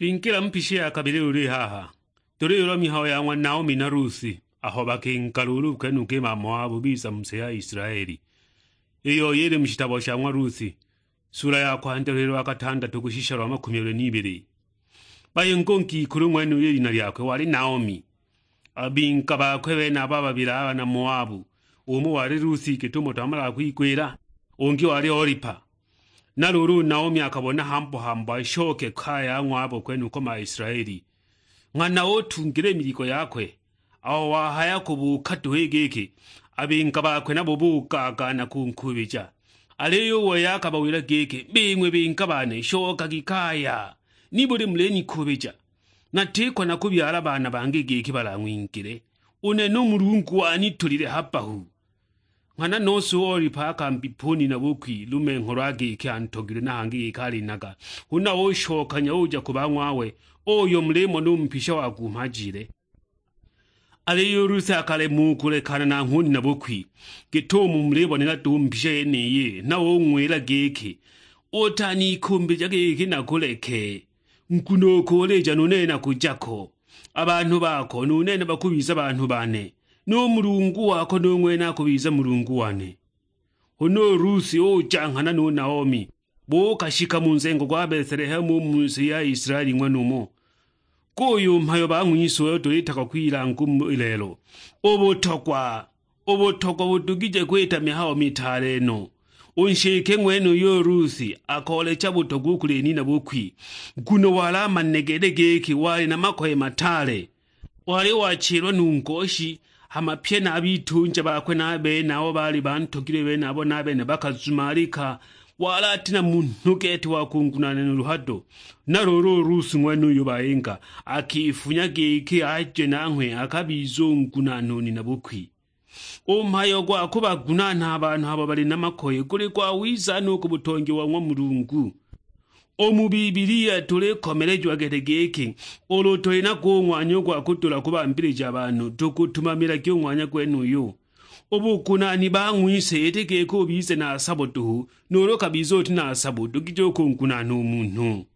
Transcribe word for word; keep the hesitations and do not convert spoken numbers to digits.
Twingila mu pisi ya kabili luli haha, tuliyulwa mihayo ya ng'wa Naomi na Rusi, aho bakinga luulu kwenuka i Mamoabu biza mu si ya Isilaeli, iyo yili mu shitabo sha ng'wa Rusi, sula ya kwandya lulilo lwa katandatu kushisha lwa makumyabili n'ibili. Bayinga u ngikulu ng'wenuyo i lina lyakwe wali Naomi. A bing'a bakwe benabo a babili a bana Moabu, umo wali Rusi gitumo twamalaga kwigwila, ungi wali Olipa. Na luulu u Naomi akabona hambo-hambo ashoke kaya ng'wabo kwenuko ma Isilaeli. Nghana utungila i miligo yakwe, aho wahaya kubuuka duhu i giki, a bing'a bakwe nabo bugaagaana kunkuubija. Aliyo u wei akabawila giki, "Bing'we bing'a bane, shokagi kaya! Nibuli mulinikuubija? Natiko nakubyala baana bangi giki balang'wingile, u nene u Mulungu wanitulile ha bbahu." Nghana nose u Olipa akambipa u nina bukwi lumengho lwa giki antogilwe na hangi giki alinaga, huna ushokanya uja ku bang'wawe, uyo mulimona u mpisha wa kumhajile. Aliyo u Rusi akalema u kulekana nanghwe u nina bukwi, git'umo mulibonela duhu mbisha yeniyi, na ung'wila giki, "Utanikumbija giki nakuleke, nguno ukulija nu nene nakuja ko. A banhu bako nu nene bakubiza banhu bane, nu Mulungu wako nu ng'wene akubiza Mulungu wane." Huna u Rusi uja nghana nu Naomi, buukashika mu nzengo gwa Betelehemu u mu si ya Isilaeli ng'wenumo. Guyu mhayo bang'wise uyo tulitagwa kwilanga u mu lelo, u butogwa, u butogwa budugije kwita mihayo mitaale no. U nshike ng'wenuyo u Rusi akoolecha butogwa u kuli nina bukwi, nguno wali amanile gete giki wali na makoye mataale. Wali wachilwa nu ngoshi, hama pye na a bitunja bakwe na a bene abo baali bantogilwe benabo na a bene bakazumalika. Wali ati na munhu gete wa kungunaana nuulu hado. Na luulu u Rusi ng'wenuyo bayinga akifunya giki aje nanghwe akabiza u ngunaana u nina bukwi. U mhayo gwa kubagunaana a banhu abo bali na makoye guli gwawiza no u ku butongi wa ng'wa Mulungu. U mu Bibilia tulikomelejiwa gete giki, ulu tuli nago u ng'wanya u gwa kudula kubambilija banhu, tukutumamilagi u ng'wanya gwenuyu. U bugunaani bang'wise iti giki ubize na sabo duhu, nuulu ukabiza uti na sabo udugije u kungunaana u munhu.